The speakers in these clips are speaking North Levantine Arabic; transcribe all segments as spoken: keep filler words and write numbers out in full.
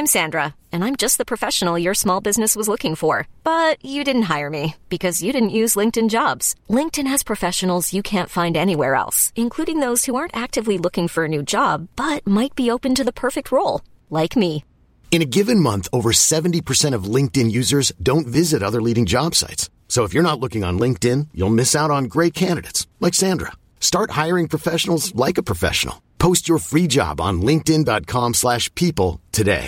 I'm Sandra, and I'm just the professional your small business was looking for. But you didn't hire me because you didn't use LinkedIn Jobs. LinkedIn has professionals you can't find anywhere else, including those who aren't actively looking for a new job, but might be open to the perfect role, like me. In a given month, over seventy percent of LinkedIn users don't visit other leading job sites. So if you're not looking on LinkedIn, you'll miss out on great candidates like Sandra. Start hiring professionals like a professional. Post your free job on linkedin.com slash people today.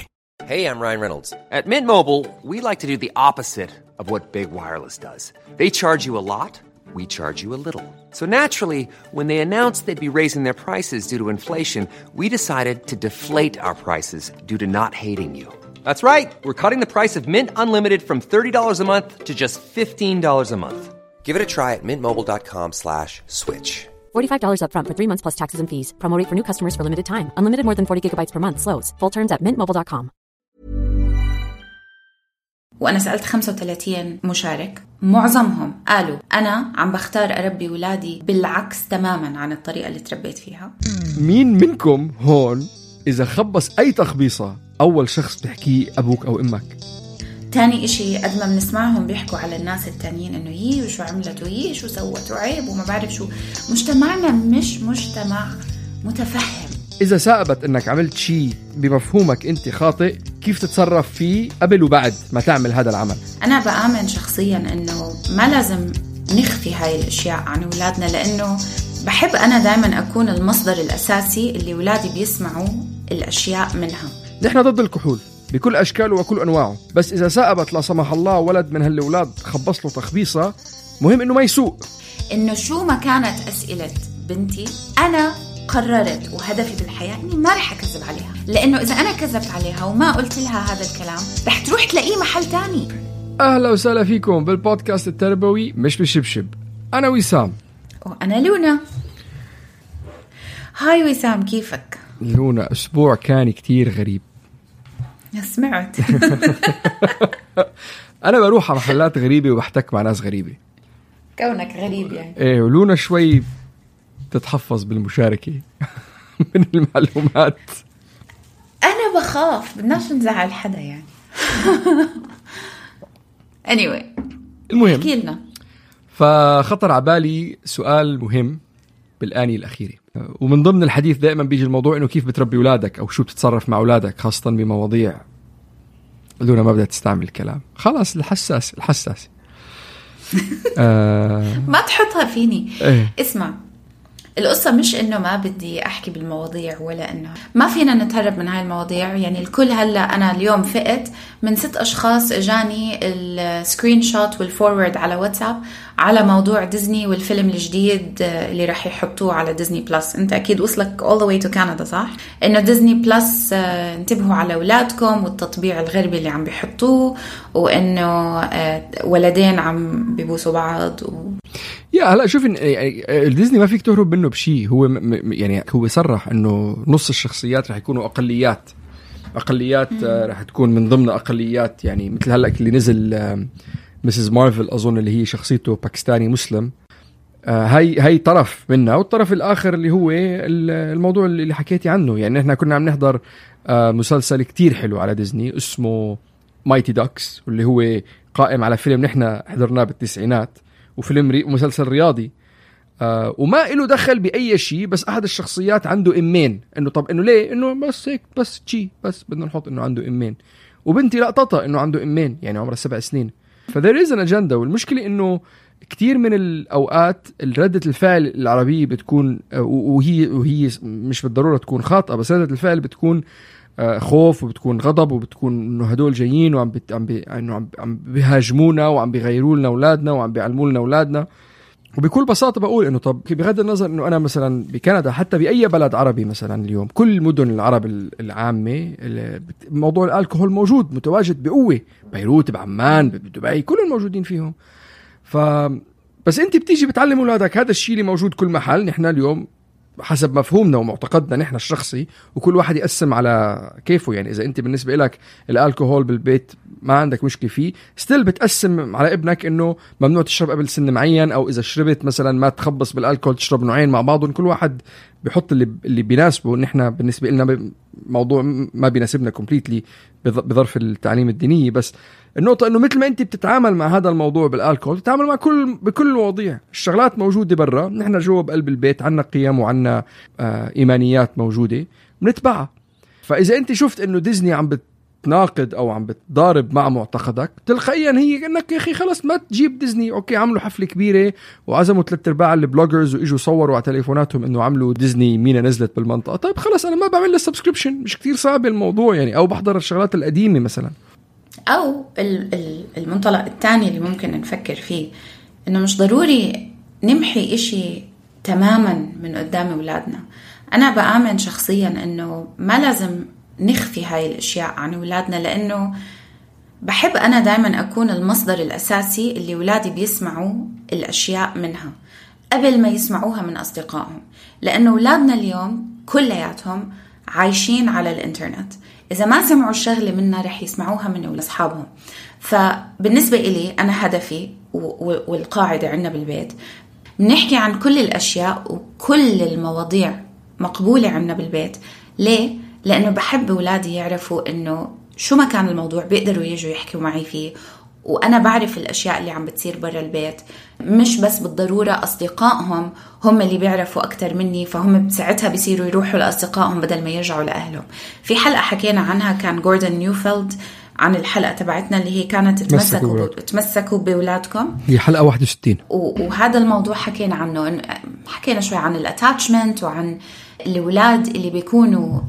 Hey, I'm Ryan Reynolds. At Mint Mobile, we like to do the opposite of what Big Wireless does. They charge you a lot, we charge you a little. So naturally, when they announced they'd be raising their prices due to inflation, we decided to deflate our prices due to not hating you. That's right. We're cutting the price of Mint Unlimited from thirty dollars a month to just fifteen dollars a month. Give it a try at mintmobile.com slash switch. forty-five dollars up front for three months plus taxes and fees. Promo rate for new customers for limited time. Unlimited more than forty gigabytes per month. Slows full terms at mint mobile dot com. وأنا سألت خمسة وثلاثين مشارك، معظمهم قالوا أنا عم بختار أربي ولادي بالعكس تماماً عن الطريقة اللي تربيت فيها. مين منكم هون إذا خبص أي تخبيصة أول شخص بتحكيه أبوك أو أمك؟ تاني إشي قد ما بنسمعهم بيحكوا على الناس التانيين إنه يي وشو عملت ويي شو سوت وعيب وما بعرف شو. مجتمعنا مش مجتمع متفهم. إذا سأبت إنك عملت شيء بمفهومك أنت خاطئ، كيف تتصرف فيه قبل وبعد ما تعمل هذا العمل؟ أنا بآمن شخصياً إنه ما لازم نخفي هاي الأشياء عن أولادنا، لأنه بحب أنا دائماً أكون المصدر الأساسي اللي أولادي بيسمعوا الأشياء منها. نحن ضد الكحول بكل أشكاله وكل أنواعه، بس إذا سأبت لا سمح الله ولد من هالأولاد خبص له تخبيصة، مهم إنه ما يسوق. إنه شو ما كانت أسئلة بنتي، أنا قررت وهدفي بالحياة إني ما رح أكذب عليها، لأنه إذا أنا كذبت عليها وما قلت لها هذا الكلام رح تروح تلاقيه محل تاني. أهلا وسهلا فيكم بالبودكاست التربوي مش بالشبشب. أنا وسام. وأنا لونا. هاي وسام، كيفك؟ لونا أسبوع كان كتير غريب. سمعت. أنا بروح على محلات غريبة وبحتك مع ناس غريبة. كونك غريب يعني. إيه، ولونا شوي تتحفظ بالمشاركة من المعلومات. أنا بخاف بدناش نزعل حدا يعني. anyway المهم احكي لنا. فخطر عبالي سؤال مهم بالآنية الأخيرة، ومن ضمن الحديث دائما بيجي الموضوع إنه كيف بتربي أولادك أو شو بتتصرف مع أولادك، خاصة بمواضيع لونا ما بدها تستعمل الكلام خلاص الحساس الحساس. آه ما تحطها فيني. ايه. اسمع، القصة مش إنه ما بدي أحكي بالمواضيع ولا إنه ما فينا نتهرب من هاي المواضيع. يعني الكل هلأ أنا اليوم فقت من ست أشخاص إجاني السكرين شوت والفورورد على واتساب على موضوع ديزني والفيلم الجديد اللي راح يحطوه على ديزني بلس. أنت أكيد وصلك all the way to Canada صح؟ إنه ديزني بلس انتبهوا على أولادكم والتطبيع الغربي اللي عم بيحطوه، وإنه ولدين عم بيبوسوا بعض و... يا هلا شوف إن الديزني ما فيك تهرب منه بشيء. هو م... يعني هو صرح إنه نص الشخصيات رح يكونوا أقليات أقليات رح تكون من ضمن أقليات، يعني مثل هلا اللي نزل مسز مارفل أظن اللي هي شخصيته باكستاني مسلم. هاي هاي طرف منها، والطرف الآخر اللي هو الموضوع اللي حكيتي عنه. يعني إحنا كنا عم نحضر مسلسل كتير حلو على ديزني اسمه مايتي داكس، واللي هو قائم على فيلم نحن حضرناه بالتسعينات، وفيلم ري... مسلسل رياضي آه وما إله دخل بأي شيء، بس أحد الشخصيات عنده إمين. إنه طب إنه ليه؟ إنه بس هيك بس شيء بس بدنا نحط إنه عنده إمين، وبنتي لقطتها إنه عنده إمين يعني عمرها سبع سنين. فذير إز أن أجندة. والمشكلة إنه كتير من الأوقات ردة الفعل العربية بتكون وهي وهي مش بالضرورة تكون خاطئة، بس ردة الفعل بتكون خوف وبتكون غضب وبتكون إنه هدول جايين وعم بت... عم بي... إنه عم عم بيهاجمونا وعم بيغيروا لنا أولادنا وعم بيعلموا لنا أولادنا. وبكل بساطة بقول إنه طب بغض النظر إنه أنا مثلا بكندا حتى بأي بلد عربي مثلا اليوم كل مدن العرب العامة موضوع الألكوهول موجود متواجد بقوة، بيروت بعمان بدبي كل الموجودين فيهم. ف بس أنت بتيجي بتعلم أولادك هذا الشيء اللي موجود كل محل. نحن اليوم حسب مفهومنا ومعتقدنا نحن الشخصي، وكل واحد يقسم على كيفه. يعني إذا أنت بالنسبة لك الألكوهول بالبيت ما عندك مشكلة فيه، ستيل بتقسم على ابنك إنه ممنوع تشرب قبل سن معين، أو إذا شربت مثلا ما تخبص بالألكوهول تشرب نوعين مع بعضهم. كل واحد بيحط اللي اللي بيناسبه. نحن بالنسبة لنا موضوع ما بيناسبنا كومبليتلي بظرف التعليم الديني. بس النقطة إنه مثل ما أنت بتتعامل مع هذا الموضوع بالألكول تتعامل مع كل بكل المواضيع. الشغلات موجودة برا، نحن جوا بقلب البيت عنا قيم وعنا آه إيمانيات موجودة بنتبعها. فإذا أنت شفت إنه ديزني عم بتناقض أو عم بتضارب مع معتقدك تلقائيا هي إنك يا أخي خلص ما تجيب ديزني. أوكي عملوا حفلة كبيرة وعزموا ثلاث أرباع البلوجرز وإجوا صوروا على تليفوناتهم إنه عملوا ديزني مينا نزلت بالمنطقة. طيب خلص أنا ما بعمل له سبسكريبشن، مش كتير صعب الموضوع يعني، أو بحضر الشغلات القديمة مثلا. أو المنطلق الثاني اللي ممكن نفكر فيه إنه مش ضروري نمحي إشي تماما من قدام أولادنا. أنا بآمن شخصيا إنه ما لازم نخفي هاي الأشياء عن أولادنا، لأنه بحب أنا دايما أكون المصدر الأساسي اللي أولادي بيسمعوا الأشياء منها قبل ما يسمعوها من أصدقائهم. لأنه أولادنا اليوم كلياتهم عايشين على الإنترنت، إذا ما سمعوا الشغلة منا رح يسمعوها من أصحابهم. فبالنسبة إلي أنا هدفي والقاعدة عندنا بالبيت بنحكي عن كل الأشياء وكل المواضيع مقبولة عندنا بالبيت. ليه؟ لأنه بحب أولادي يعرفوا إنه شو ما كان الموضوع بيقدروا يجوا يحكوا معي فيه، وأنا بعرف الأشياء اللي عم بتصير برا البيت. مش بس بالضرورة أصدقائهم هم اللي بيعرفوا أكتر مني، فهم بساعتها بيصيروا يروحوا لأصدقائهم بدل ما يرجعوا لأهلهم. في حلقة حكينا عنها كان جوردن نيوفيلد عن الحلقة تبعتنا اللي هي كانت تمسكوا تمسكوا بأولادكم، هي حلقة واحد وستين. وهذا الموضوع حكينا عنه، حكينا شوي عن الاتاتشمنت وعن الأولاد اللي بيكونوا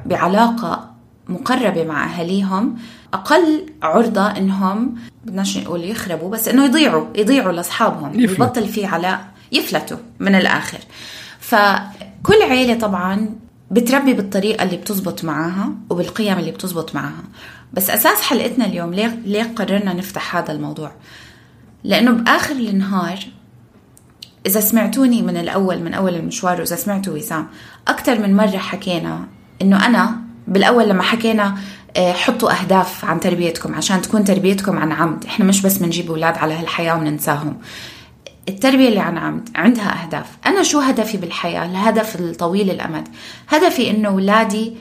بعلاقة مقربة مع أهاليهم أقل عرضة إنهم بدناش نقول يخربوا، بس إنه يضيعوا يضيعوا لأصحابهم، يبطل في علاء يفلتوا من الآخر. فكل عيلة طبعا بتربي بالطريقة اللي بتزبط معاها وبالقيم اللي بتزبط معاها. بس أساس حلقتنا اليوم ليه, ليه قررنا نفتح هذا الموضوع؟ لأنه بآخر النهار إذا سمعتوني من الأول من أول المشوار، وإذا سمعتوا وسام أكتر من مرة حكينا إنه أنا بالأول لما حكينا حطوا أهداف عن تربيتكم عشان تكون تربيتكم عن عمد. إحنا مش بس منجيب أولاد على هالحياة وننساهم. التربية اللي عن عمد عندها أهداف. أنا شو هدفي بالحياة؟ الهدف الطويل الأمد، هدفي إنه أولادي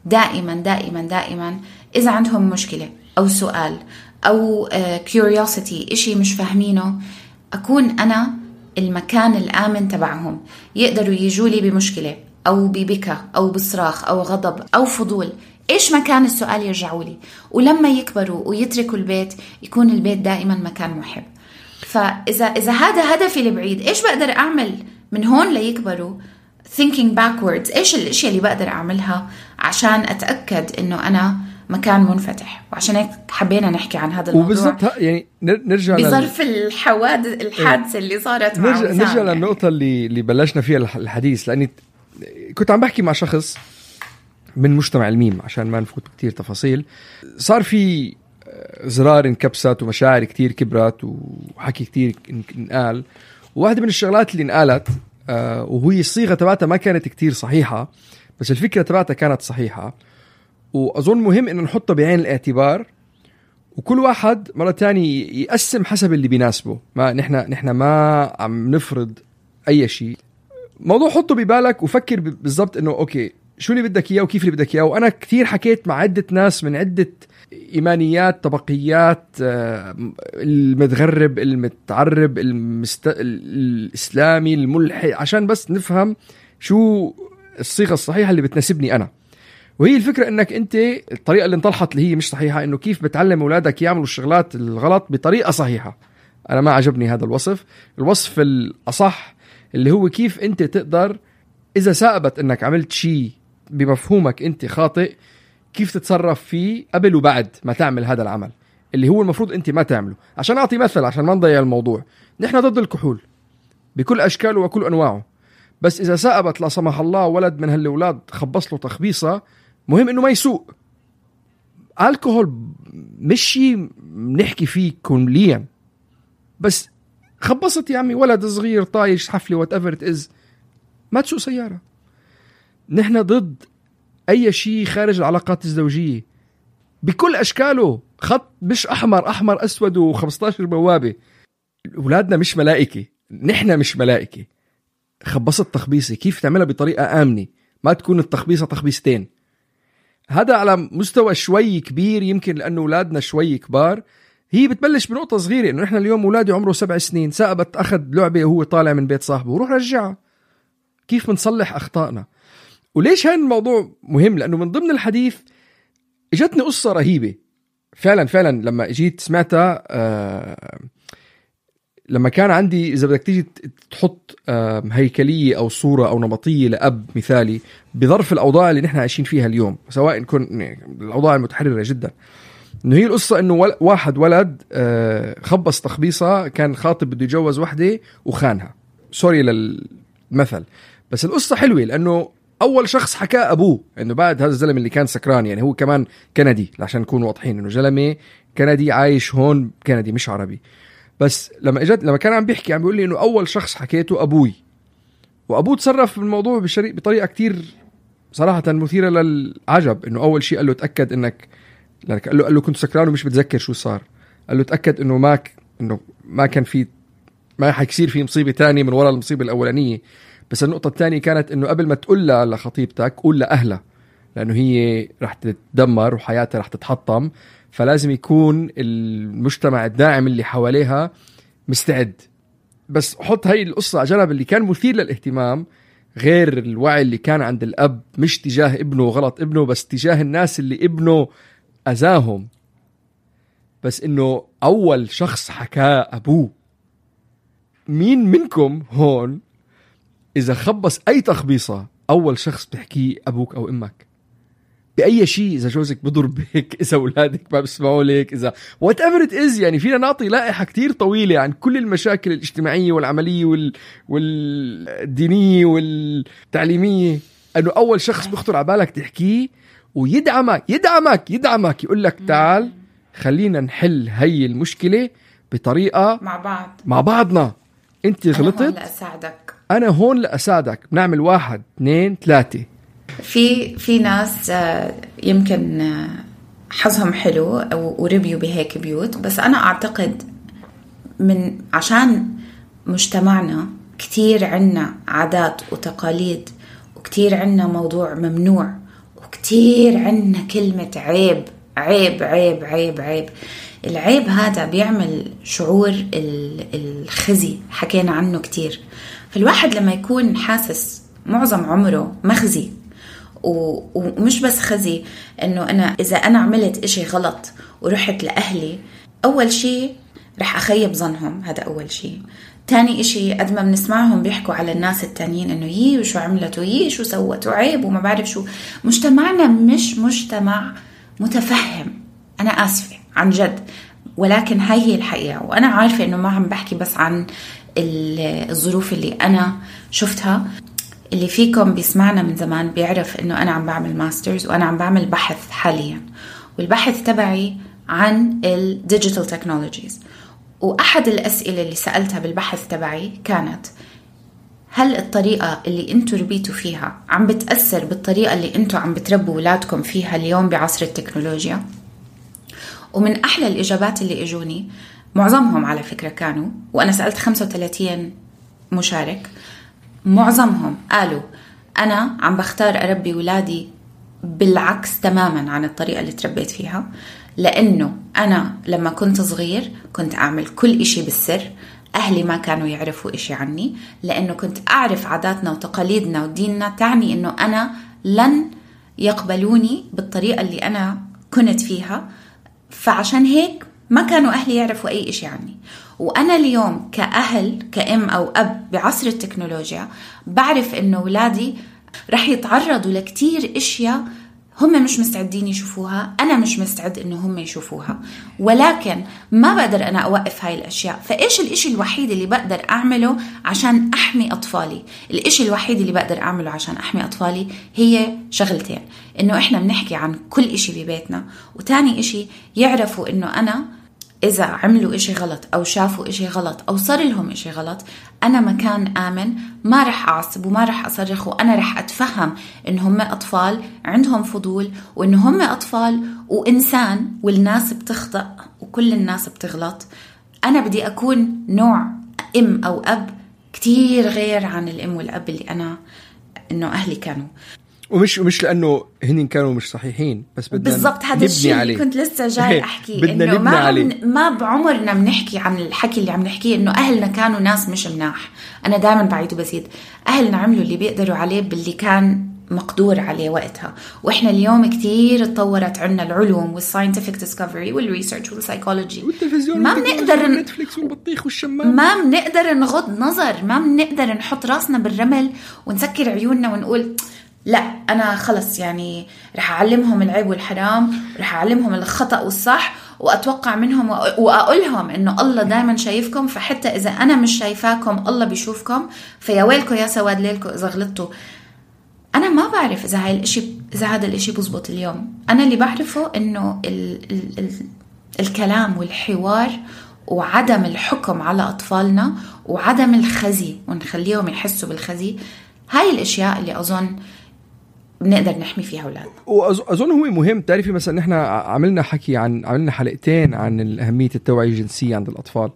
دائما دائما دائما إذا عندهم مشكلة أو سؤال أو curiosity إشي مش فاهمينه، أكون أنا المكان الآمن تبعهم. يقدروا يجولي بمشكلة أو ببكى أو بصراخ أو غضب أو فضول، إيش مكان السؤال يرجعوا لي. ولما يكبروا ويتركوا البيت يكون البيت دائما مكان محب. فإذا إذا هذا هدفي البعيد، إيش بقدر أعمل من هون ليكبروا thinking backwards؟ إيش الأشياء اللي بقدر أعملها عشان أتأكد إنه أنا مكان منفتح؟ وعشان هيك حبينا نحكي عن هذا الموضوع. وبالضبط يعني نرجع بظرف لل... الحوادث الحادثة اللي صارت مع نرجع, نرجع يعني. للنقطة اللي اللي بلشنا فيها الحديث، لأني كنت عم بحكي مع شخص من مجتمع الميم عشان ما نفوت كتير تفاصيل. صار في زرار انكبست ومشاعر كتير كبرت وحكي كتير انقال، وواحدة من الشغلات اللي انقالت آه وهي الصيغة تبعتها ما كانت كتير صحيحة، بس الفكرة تبعتها كانت صحيحة. وأظن مهم إنه نحطها بعين الاعتبار، وكل واحد مرة تانية يقسم حسب اللي بيناسبه. ما نحن نحن ما عم نفرض أي شيء. موضوع حطه ببالك وفكر بالضبط إنه أوكي شو اللي بدك إياه وكيف اللي بدك إياه. وأنا كتير حكيت مع عدة ناس من عدة إيمانيات، طبقيات، المتغرب، المتعرب، المست... الإسلامي، الملحد، عشان بس نفهم شو الصيغة الصحيحة اللي بتناسبني أنا. وهي الفكرة إنك أنت الطريقة اللي انطلحت اللي هي مش صحيحة، إنه كيف بتعلم أولادك يعملوا الشغلات الغلط بطريقة صحيحة. أنا ما عجبني هذا الوصف. الوصف الأصح اللي هو كيف أنت تقدر إذا ثابت إنك عملت شيء بمفهومك أنت خاطئ، كيف تتصرف فيه قبل وبعد ما تعمل هذا العمل اللي هو المفروض أنت ما تعمله. عشان أعطي مثل عشان ما نضيع الموضوع، نحن ضد الكحول بكل أشكاله وكل أنواعه، بس إذا ثابت لا سمح الله ولد من هالأولاد خبص له تخبيصة، مهم إنه ما يسوق. الكحول مش شيء نحكي فيه كليا، بس خبصت يا عمي ولد صغير طايش حفلة whatever it is، ما تسوق سيارة. نحن ضد أي شيء خارج العلاقات الزوجية بكل أشكاله، خط مش أحمر أحمر أسود وخمستاشر بوابة. أولادنا مش ملائكة، نحن مش ملائكة. خبصت تخبيصة كيف تعملها بطريقة آمنة، ما تكون التخبيصة تخبيصتين. هذا على مستوى شوي كبير، يمكن لأنه أولادنا شوي كبار. هي بتبلش بنقطة صغيرة، إنه إحنا اليوم أولادي عمره سبع سنين، سأبت أخذ لعبة وهو طالع من بيت صاحبه وروح رجعها. كيف بنصلح أخطائنا؟ وليش هاي الموضوع مهم؟ لأنه من ضمن الحديث اجتني قصة رهيبة فعلا فعلا لما اجيت سمعتها. آه لما كان عندي، إذا بدك تيجي تحط آه هيكلية أو صورة أو نمطية لأب مثالي بظرف الأوضاع اللي نحن عايشين فيها اليوم، سواء كن الأوضاع المتحررة جدا، إنه هي القصة إنه واحد ولد آه خبص تخبيصة، كان خاطب بده يتجوز وحدة وخانها، سوري للمثل، بس القصة حلوة لأنه أول شخص حكى أبوه، إنه بعد هذا الزلمة اللي كان سكران، يعني هو كمان كندي عشان نكون واضحين، إنه زلمة كندي عايش هون كندي مش عربي. بس لما اجت لما كان عم بيحكي عم بيقول لي إنه أول شخص حكيته أبوي، وأبوه تصرف في الموضوع بشري بطريقة كتير صراحة مثيرة للعجب. إنه أول شيء قال له تأكد إنك، قال له قال له كنت سكران ومش بتذكر شو صار، قال له تأكد إنه ما ك... إنه ما كان في ما حيصير في مصيبة تانية من وراء المصيبة الأولانية. بس النقطة الثانية كانت إنه قبل ما تقول لها لخطيبتك قول لأهلها، لأنه هي رح تتدمر وحياتها رح تتحطم، فلازم يكون المجتمع الداعم اللي حواليها مستعد. بس حط هاي القصة على جنب، اللي كان مثير للاهتمام غير الوعي اللي كان عند الأب، مش تجاه ابنه غلط ابنه، بس تجاه الناس اللي ابنه أذاهم. بس إنه أول شخص حكى أبوه. مين منكم هون إذا خبص أي تخبيصة أول شخص بيحكيه أبوك أو أمك؟ بأي شيء، إذا جوزك بضربك، إذا أولادك ما بيسمعوا لك، إذا whatever it is. يعني فينا نعطي لائحة كتير طويلة عن كل المشاكل الاجتماعية والعملية وال... والدينية والتعليمية، أنه أول شخص بيخطر على بالك تحكيه ويدعمك يدعمك يدعمك يقول لك تعال خلينا نحل هاي المشكلة بطريقة مع بعض مع بعضنا. أنت غلطت، أنا هون لأساعدك، أنا هون لأساعدك، بنعمل واحد اثنين ثلاثة. في في ناس يمكن حظهم حلو وربيوا بهيك بيوت، بس أنا أعتقد من عشان مجتمعنا كتير عنا عادات وتقاليد، وكتير عنا موضوع ممنوع، وكتير عنا كلمة عيب عيب عيب عيب عيب. العيب هذا بيعمل شعور الخزي، حكينا عنه كتير. فالواحد لما يكون حاسس معظم عمره مخزي، ومش بس خزي انه انا اذا انا عملت اشي غلط ورحت لأهلي، اول شي رح اخيب ظنهم، هذا اول شي. تاني اشي قد ما بنسمعهم بيحكوا على الناس التانيين انه يي وشو عملت ويي شو سوت وعيب وما بعرف شو. مجتمعنا مش مجتمع متفهم، انا اسفة عن جد، ولكن هاي هي الحقيقة. وانا عارفة انه ما عم بحكي بس عن الظروف اللي انا شفتها. اللي فيكم بيسمعنا من زمان بيعرف انه انا عم بعمل ماسترز وانا عم بعمل بحث حاليا، والبحث تبعي عن الديجيتال تكنولوجيز. واحد الاسئلة اللي سألتها بالبحث تبعي كانت: هل الطريقة اللي انتوا ربيتوا فيها عم بتأثر بالطريقة اللي انتوا عم بتربوا ولادكم فيها اليوم بعصر التكنولوجيا؟ ومن احلى الاجابات اللي اجوني، معظمهم على فكرة كانوا، وانا سألت خمسة وثلاثين مشارك، معظمهم قالوا أنا عم بختار أربي ولادي بالعكس تماما عن الطريقة اللي تربيت فيها، لأنه أنا لما كنت صغير كنت أعمل كل إشي بالسر، أهلي ما كانوا يعرفوا إشي عني، لأنه كنت أعرف عاداتنا وتقاليدنا وديننا، تعني أنه أنا لن يقبلوني بالطريقة اللي أنا كنت فيها، فعشان هيك ما كانوا أهلي يعرفوا أي إشي عني. وأنا اليوم كأهل كأم أو أب بعصر التكنولوجيا بعرف إنه أولادي رح يتعرضوا لكتير إشياء هم مش مستعدين يشوفوها، أنا مش مستعد إنه هم يشوفوها، ولكن ما بقدر أنا أوقف هاي الأشياء. فإيش الإشي الوحيد اللي بقدر أعمله عشان أحمي أطفالي؟ الإشي الوحيد اللي بقدر أعمله عشان أحمي أطفالي هي شغلتين: إنه إحنا بنحكي عن كل إشي ببيتنا، وتاني إشي يعرفوا إنه أنا إذا عملوا إشي غلط أو شافوا إشي غلط أو صار لهم إشي غلط، أنا مكان آمن، ما رح أعصب وما رح أصرخ، وأنا رح أتفهم إن هم أطفال عندهم فضول، وإن هم أطفال وإنسان، والناس بتخطأ وكل الناس بتغلط. أنا بدي أكون نوع أم أو أب كتير غير عن الأم والأب اللي أنا إنه أهلي كانوا. ومش ومش لانه هن كانوا مش صحيحين، بس بدنا بالضبط هذا الشيء اللي كنت لسه جاي احكي، انه ما عليه. ما بعمرنا بنحكي عن الحكي اللي عم نحكيه انه اهلنا كانوا ناس مش مناح. انا دائما بعيد وبزيد، اهلنا عملوا اللي بيقدروا عليه باللي كان مقدور عليه وقتها، واحنا اليوم كتير اتطورت عنا العلوم والساينتفك ديسكفري والريسيرش والسايكولوجي، والتلفزيون ما بنقدر نتفليكس والبطيخ والشمام، ما بنقدر نغض نظر، ما بنقدر نحط راسنا بالرمل ونسكر عيوننا ونقول لا أنا خلص يعني رح أعلمهم العيب والحرام، رح أعلمهم الخطأ والصح، وأتوقع منهم وأقولهم إنه الله دايما شايفكم، فحتى إذا أنا مش شايفاكم الله بيشوفكم، فيا ويلكم يا سواد ليلكم إذا غلطتوا. أنا ما بعرف إذا هاي الإشي إذا هذا الإشي بزبط اليوم. أنا اللي بعرفه إنه ال ال ال الكلام والحوار وعدم الحكم على أطفالنا وعدم الخزي ونخليهم يحسوا بالخزي، هاي الأشياء اللي أظن بنقدر نحمي فيها أولادنا. وأظن هو مهم. تعرفي مثلا نحن عملنا حكي عن عملنا حلقتين عن أهمية التوعية الجنسية عند الأطفال،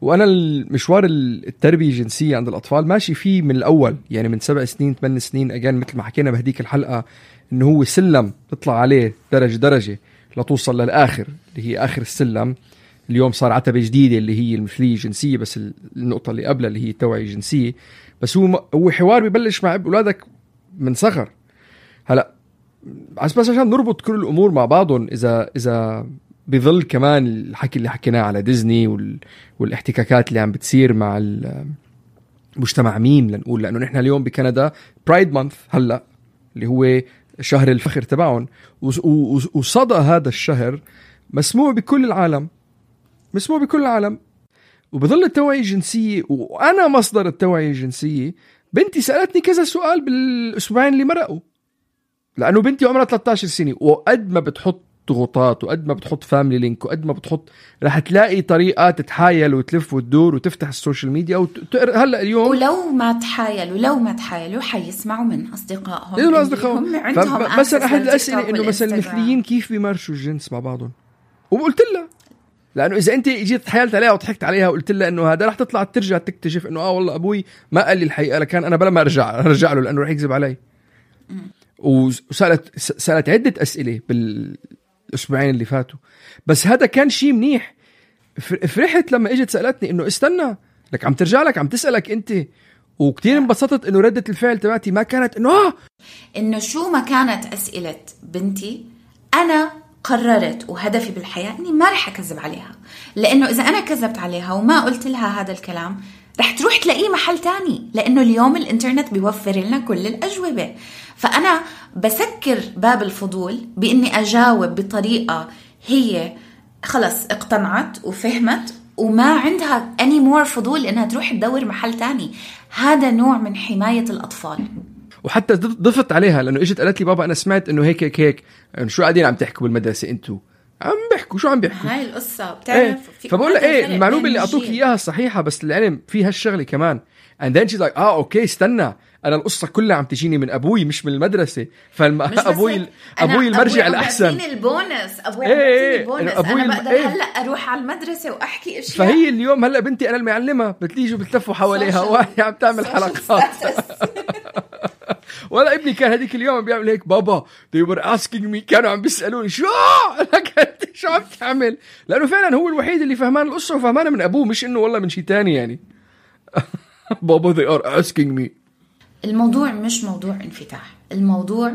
وأنا المشوار التربية الجنسية عند الأطفال ماشي فيه من الأول، يعني من سبع سنين ثمان سنين أجان، مثل ما حكينا بهديك الحلقة إنه هو سلم تطلع عليه درجة درجة لتوصل للآخر اللي هي آخر السلم. اليوم صار عتبة جديدة اللي هي المثلية الجنسية، بس النقطة اللي قبلها اللي هي التوعية الجنسية. بس هو هو حوار بيبلش مع أولادك من صغر. هلا بس عشان نربط كل الأمور مع بعضهم، إذا إذا بظل كمان الحكي اللي حكيناه على ديزني وال والاحتكاكات اللي عم بتصير مع المجتمع ميم، لنقول لأنه نحن اليوم بكندا برايد مانث هلا اللي هو شهر الفخر تبعهم، وصدى هذا الشهر مسموع بكل العالم، مسموع بكل العالم. وبظل التوعية الجنسية، وأنا مصدر التوعية الجنسية، بنتي سألتني كذا سؤال بالأسبوعين اللي مرقوا، لأنه بنتي عمرها ثلاثة عشر سنة، وقد ما بتحط ضغوطات وقد ما بتحط فاميلي لينك وقد ما بتحط رح تلاقي طريقة تتحايل وتلف وتدور وتفتح السوشيال ميديا وتقر. هلأ اليوم ولو ما تحايل ولو ما تحايلوا حيسمعوا من أصدقائهم، إيه أصدقائهم عندهم. مثلا أحد الأسئلة إنه مثلا المثليين كيف بيمارسوا الجنس مع بعضهم، وقلت لها لأنه إذا أنت جيت تحايلت عليها وضحكت عليها وقلت لها إنه هذا رح تطلع ترجع تكتشف إنه آه والله أبوي ما قال لي الحقيقة، لكن أنا بلا ما أرجع أرجع له لأنه رح يكذب علي. وسألت سألت عدة أسئلة بالأسبوعين اللي فاتوا، بس هذا كان شيء منيح. فرحت لما اجت سألتني إنه استنى لك عم ترجع لك عم تسألك أنت، وكتير انبسطت إنه ردة الفعل تبعتي ما كانت إنه آه إنه شو ما كانت أسئلة بنتي، أنا قررت وهدفي بالحياة إني ما رح أكذب عليها، لأنه إذا أنا كذبت عليها وما قلت لها هذا الكلام رح تروح تلاقيه محل تاني، لأنه اليوم الإنترنت بيوفر لنا كل الأجوبة. فأنا بسكر باب الفضول بإني أجاوب بطريقة هي خلص اقتنعت وفهمت وما عندها any more فضول إنها تروح تدور محل تاني. هذا نوع من حماية الأطفال. وحتى ضفت عليها لأنه إجت قالت لي بابا أنا سمعت إنه هيك هيك هيك، يعني شو قاعدين عم تحكوا بالمدرسة أنتوا؟ عم بيحكوا شو عم بيحكوا؟ هاي القصة بتعرف ايه. فبقول لها ايه المعلومة اللي أعطوك إياها صحيحة، بس العلم فيها الشغلة كمان. and then she's like اه اوكي استنى، أنا القصة كلها عم تجيني من أبوي مش من المدرسة، فأبوي أبوي المرجع الأحسن. أبوي البونس أبوي ايه البونس أبوي أنا بقدر ايه. هلأ أروح على المدرسة وأحكي أشياء. فهي اليوم هلأ بنتي أنا المعلمة بتليجوا بتلفوا حواليها وهي عم تعمل حلقات. ولا ابني كان هذيك اليوم بيعمل هيك بابا they were asking me، كانوا عم بيسألوني شو شو عم تعمل، لأنه فعلا هو الوحيد اللي فهمان القصة وفهمانها من أبوه، مش إنه والله من شيء تاني يعني. بابا they are asking me. الموضوع مش موضوع انفتاح، الموضوع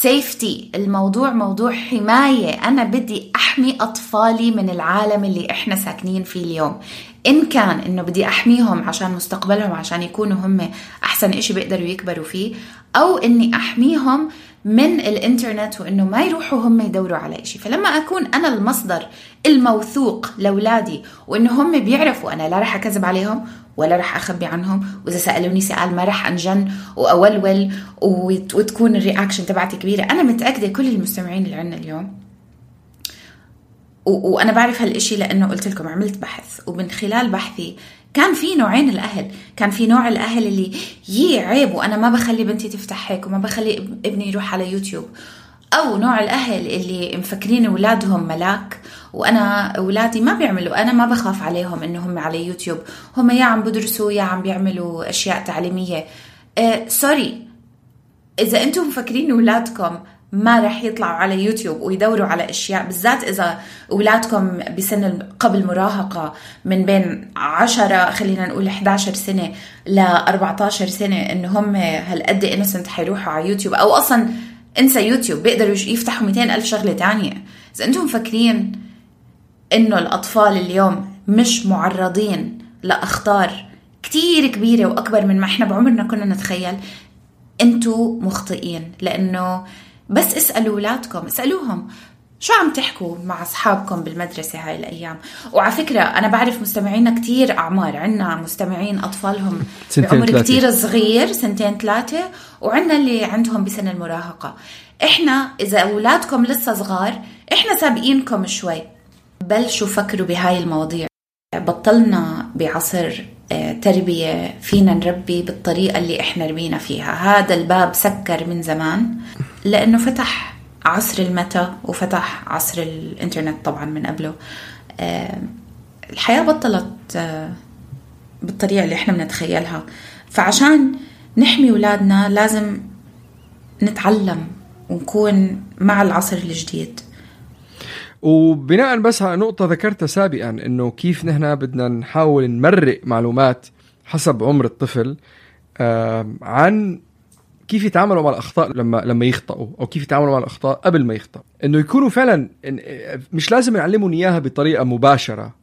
safety، الموضوع موضوع حماية. أنا بدي أحمي أطفالي من العالم اللي إحنا ساكنين فيه اليوم، إن كان إنه بدي أحميهم عشان مستقبلهم عشان يكونوا هم أحسن إشي بيقدروا يكبروا فيه، أو إني أحميهم من الإنترنت وإنه ما يروحوا هم يدوروا على إشي. فلما أكون أنا المصدر الموثوق لأولادي وإنه هم بيعرفوا أنا لا رح أكذب عليهم ولا رح أخبي عنهم، وإذا سألوني سؤال ما رح أنجن وأولول وتكون الرياكشن تبعتي كبيرة. أنا متأكدة كل المستمعين اللي عنا اليوم، وأنا بعرف هالإشي لأنه قلت لكم عملت بحث، ومن خلال بحثي كان في نوعين الأهل. كان في نوع الأهل اللي يي عيب وأنا ما بخلي بنتي تفتح هيك وما بخلي ابني يروح على يوتيوب، أو نوع الأهل اللي مفكرين أولادهم ملاك وأنا أولادي ما بيعملوا، أنا ما بخاف عليهم إنهم على يوتيوب، هم يا عم بدرسوا يا عم بيعملوا أشياء تعليمية. أه سوري، إذا أنتم مفكرين أولادكم ما رح يطلعوا على يوتيوب ويدوروا على أشياء، بالذات إذا أولادكم بسن قبل مراهقة من بين عشرة خلينا نقول إحدى عشرة سنة ل أربعة عشر سنة، إنه هم هالقد إنسنت حيروحوا على يوتيوب، أو أصلا انسى يوتيوب بيقدروا يفتحوا مئتين ألف شغلة تانية. إذا أنتم مفكرين إنه الأطفال اليوم مش معرضين لأخطار كتير كبيرة وأكبر من ما إحنا بعمرنا كنا نتخيل، أنتوا مخطئين. لأنه بس اسألوا أولادكم، اسألوهم شو عم تحكوا مع أصحابكم بالمدرسة هاي الأيام. وعلى فكرة أنا بعرف مستمعينا كتير أعمار، عنا مستمعين أطفالهم بعمر كتير صغير سنتين ثلاثة، وعنا اللي عندهم بسن المراهقة. إحنا إذا أولادكم لسه صغار إحنا سابقينكم شوي، بلشوا فكروا بهاي المواضيع. بطلنا بعصر تربية فينا نربي بالطريقة اللي إحنا ربينا فيها، هذا الباب سكر من زمان، لأنه فتح عصر الميتا وفتح عصر الإنترنت طبعا من قبله. الحياة بطلت بالطريقة اللي إحنا بنتخيلها. فعشان نحمي أولادنا لازم نتعلم ونكون مع العصر الجديد. وبناء بس على نقطة ذكرتها سابقا، إنه كيف نحن بدنا نحاول نمرق معلومات حسب عمر الطفل عن كيف يتعاملوا مع الأخطاء لما لما يخطئوا، أو كيف يتعاملوا مع الأخطاء قبل ما يخطئوا. إنه يكونوا فعلا مش لازم نعلمهم إياها بطريقة مباشرة،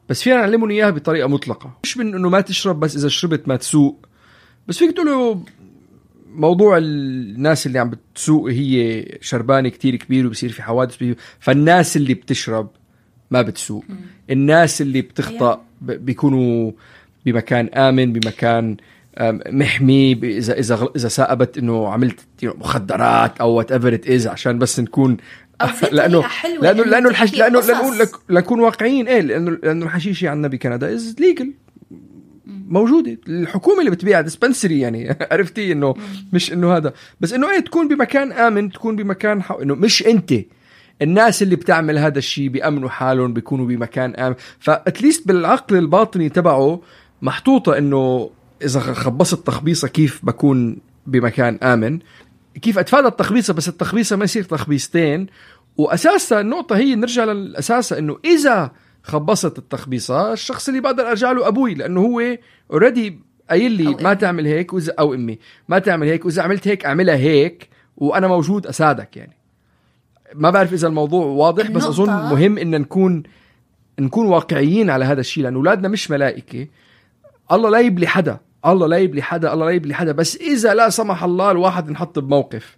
بس فينا نعلمهم إياها بطريقة مطلقة. مش من إنه ما تشرب، بس إذا شربت ما تسوق. بس فيك تقولوا موضوع الناس اللي عم بتسوق هي شربانة كتير كبير وبصير في حوادث، فالناس اللي بتشرب ما بتسوق. الناس اللي بتخطأ بيكونوا بمكان آمن، بمكان محمي. إذا إذا إذا سأبت إنه عملت مخدرات أو whatever it is، عشان بس نكون لأنه لأنه لأنه الحش لأنه لأنه لنكون واقعيين. إيه لأنه لأنه الحشيشة عندنا بكندا is legal، موجودة. الحكومة اللي بتبيع ديسبنسري يعني عرفتي إنه مش إنه هذا، بس إنه إيه تكون بمكان آمن، تكون بمكان حو... إنه مش أنت. الناس اللي بتعمل هذا الشيء بيأمنوا حالهم، بيكونوا بمكان آمن. فأتليست بالعقل الباطني تبعه محطوطة إنه إذا خبصت تخبيصة كيف بكون بمكان آمن، كيف أتفادى التخبيصة، بس التخبيصة ما يصير تخبيصتين. وأساسا النقطة هي نرجع للأساس، إنه إذا خبصت التخبيصة الشخص اللي بقدر أرجع له أبوي، لأنه هو already قايل لي ما تعمل هيك، وإذا أو أمي ما تعمل هيك، وإذا عملت هيك أعملها هيك، وأنا موجود أساعدك. يعني ما بعرف إذا الموضوع واضح، بس أظن مهم إن نكون نكون واقعيين على هذا الشيء، لأن أولادنا مش ملائكة. الله لا يبلي حدا، الله لا يبلي حدا، الله لا يبلي حدا. بس إذا لا سمح الله الواحد نحط بموقف،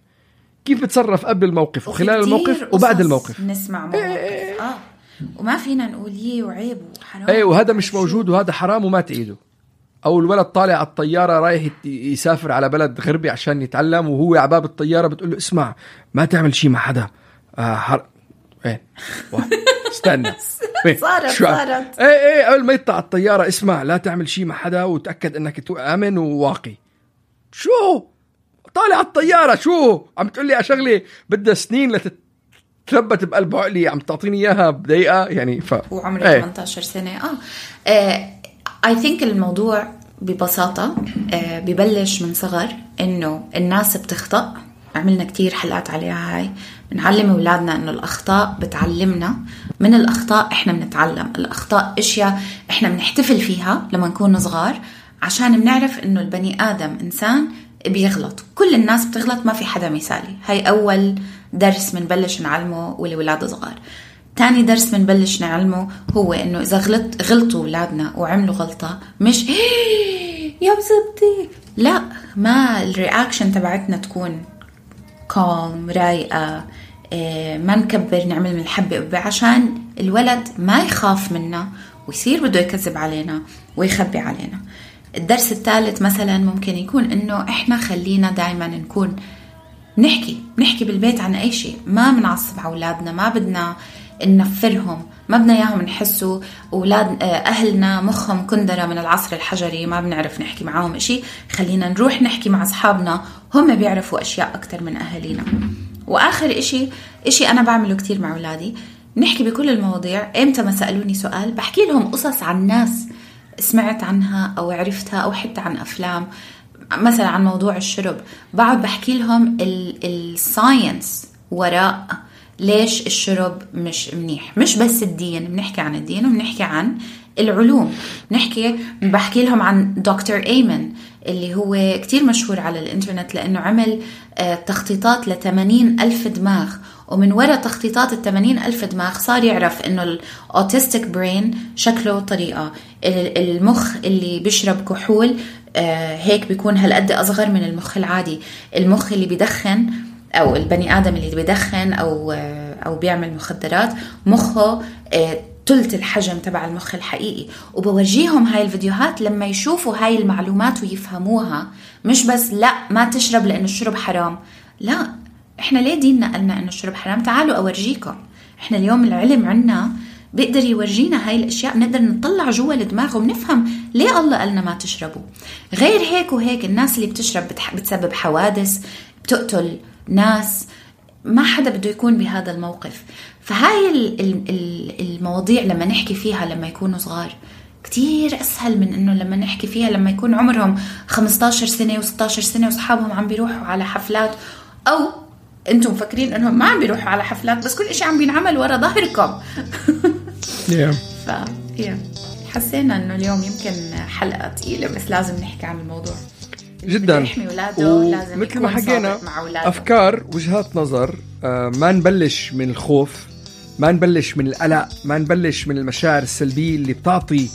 كيف بتصرف قبل الموقف وخلال الموقف وبعد الموقف. نسمع مواقف إيه آه وما فينا نقول يه وعيب وحرام. ايه وهذا مش موجود، وهذا حرام وما تعيده. او الولد طالع على الطياره رايح يسافر على بلد غربي عشان يتعلم، وهو على باب الطياره بتقول له اسمع ما تعمل شيء مع حدا. آه حر... ايه استنى صارت صارت ايه ايه قبل ما يطلع الطياره اسمع لا تعمل شيء مع حدا، وتاكد انك امن وواقي. شو طالع على الطياره شو عم تقول لي على شغله بدها سنين لتت تثبت بقلب عقلي، عم تعطيني اياها بدقيقه يعني. ف وعمري ايه. ثمانية عشر سنه. اه اي ثينك الموضوع ببساطه آه ببلش من صغر، انه الناس بتخطأ. عملنا كتير حلقات عليها هاي، بنعلم اولادنا انه الاخطاء بتعلمنا، من الاخطاء احنا بنتعلم. الاخطاء اشياء احنا بنحتفل فيها لما نكون صغار، عشان بنعرف انه البني ادم انسان بيغلط، كل الناس بتغلط، ما في حدا مثالي. هاي اول درس منبلش نعلمه والولاد صغار. تاني درس منبلش نعلمه هو انه اذا غلط غلطوا اولادنا وعملوا غلطة، مش يا بزبطي، لا، ما الرياكشن تبعتنا تكون كالم رايقة، ما نكبر نعمل من الحبة قبة، عشان الولد ما يخاف منا ويصير بده يكذب علينا ويخبي علينا. الدرس الثالث مثلا ممكن يكون انه احنا خلينا دايما نكون نحكي نحكي بالبيت عن اي شيء، ما بنعصب على اولادنا، ما بدنا ننفرهم، ما بدنا اياهم نحسوا اولاد اهلنا مخهم كندره من العصر الحجري، ما بنعرف نحكي معاهم شيء. خلينا نروح نحكي مع اصحابنا، هم بيعرفوا اشياء اكثر من اهالينا. واخر اشي اشي انا بعمله كتير مع اولادي، نحكي بكل المواضيع. امتى ما سالوني سؤال بحكي لهم قصص عن ناس سمعت عنها او عرفتها، او حتى عن افلام. مثلا عن موضوع الشرب بقعد بحكي لهم الساينس وراء ليش الشرب مش منيح. مش بس الدين، بنحكي عن الدين وبنحكي عن العلوم. بنحكي بحكي لهم عن دكتور أيمن اللي هو كتير مشهور على الانترنت لأنه عمل تخطيطات لثمانين ألف دماغ، ومن وراء تخطيطات الثمانين ألف دماغ صار يعرف إنه الأوتيستيك برين شكله طريقة، المخ اللي بيشرب كحول هيك بيكون هالقد أصغر من المخ العادي، المخ اللي بيدخن أو البني آدم اللي بيدخن أو أو بيعمل مخدرات مخه تلت الحجم تبع المخ الحقيقي. وبورجيهم هاي الفيديوهات لما يشوفوا هاي المعلومات ويفهموها، مش بس لا ما تشرب لأن الشرب حرام. لا، إحنا ليه ديننا قلنا إنه الشرب حرام؟ تعالوا أورجيكم. إحنا اليوم العلم عنا بيقدر يورجينا هاي الأشياء، نقدر نطلع جوا الدماغ ونفهم ليه الله قالنا ما تشربوا. غير هيك وهيك الناس اللي بتشرب بتسبب حوادث، بتقتل ناس، ما حدا بده يكون بهذا الموقف. فهاي المواضيع لما نحكي فيها لما يكونوا صغار كتير أسهل من إنه لما نحكي فيها لما يكون عمرهم خمستاشر سنة وستاشر سنة وصحابهم عم بيروحوا على حفلات، أو أنتم فاكرين إنهم ما عم بيروحوا على حفلات بس كل إشي عم بينعمل ورا ظهركم. ف حسينا إنه اليوم يمكن حلقة تقيلة بس لازم نحكي عن الموضوع جدا. ومثل ما حكينا أفكار وجهات نظر، آه ما نبلش من الخوف، ما نبلش من القلق، ما نبلش من المشاعر السلبية اللي بتعطي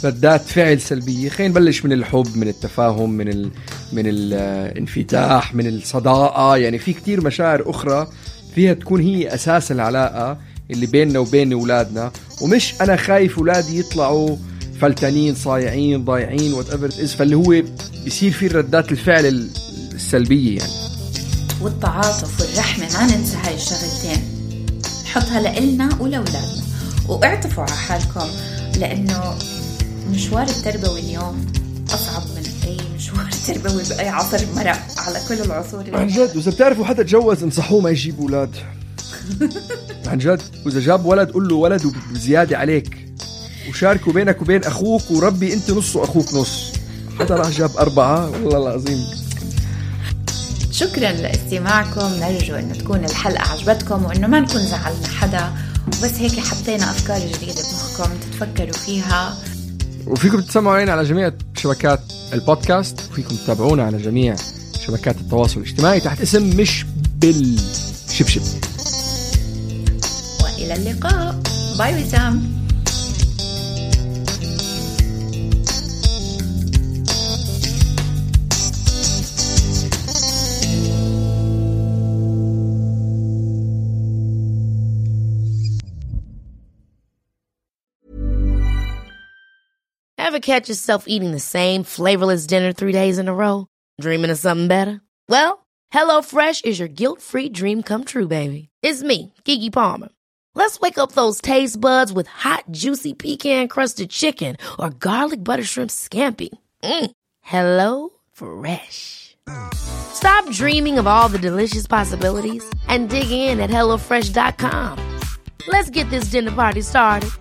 ردات فعل سلبية. خلينا نبلش من الحب، من التفاهم، من ال... من الانفتاح، من الصداقة. يعني في كتير مشاعر أخرى فيها تكون هي أساس العلاقة اللي بيننا وبين أولادنا، ومش أنا خايف أولادي يطلعوا فلتانين صايعين ضايعين whatever it is، فاللي هو بيصير فيه ردات الفعل السلبية يعني. والتعاطف والرحمة ما ننسى هاي الشغلتين، نحطها لإلنا ولأولادنا. واعطفوا على حالكم لأنه مشوار التربوي اليوم أصعب من أي مشوار تربوي بأي عصر مرق على كل العصور. عن جد، وإذا بتعرفوا حدا تجوز انصحوه ما يجيب أولاد. عن جد، وإذا جاب ولد قل له ولد وبزيادة عليك، وشاركوا بينك وبين أخوك، وربي أنت نص وأخوك نص. حدا راح جاب أربعة والله العظيم. شكرا لاستماعكم، نرجو أنه تكون الحلقة عجبتكم وأنه ما نكون زعلنا حدا، وبس هيك حطينا أفكار جديدة بمخكم تتفكروا فيها. وفيكم تسمعوا علينا على جميع شبكات البودكاست، وفيكم تتابعونا على جميع شبكات التواصل الاجتماعي تحت اسم مش بالشبشب. وإلى اللقاء، باي وسام. Ever catch yourself eating the same flavorless dinner three days in a row? Dreaming of something better? Well, HelloFresh is your guilt-free dream come true, baby. It's me, Keke Palmer. Let's wake up those taste buds with hot, juicy pecan-crusted chicken or garlic butter shrimp scampi. Mm. Hello Fresh. Stop dreaming of all the delicious possibilities and dig in at hello fresh dot com. Let's get this dinner party started.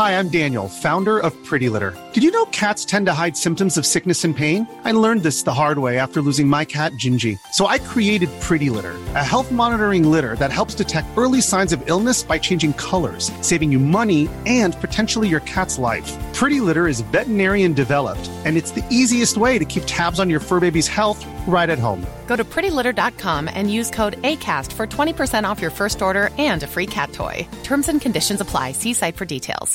Hi, I'm Daniel, founder of Pretty Litter. Did you know cats tend to hide symptoms of sickness and pain? I learned this the hard way after losing my cat, Gingy. So I created Pretty Litter, a health monitoring litter that helps detect early signs of illness by changing colors, saving you money and potentially your cat's life. Pretty Litter is veterinarian developed, and it's the easiest way to keep tabs on your fur baby's health right at home. Go to pretty litter dot com and use code ACAST for twenty percent off your first order and a free cat toy. Terms and conditions apply. See site for details.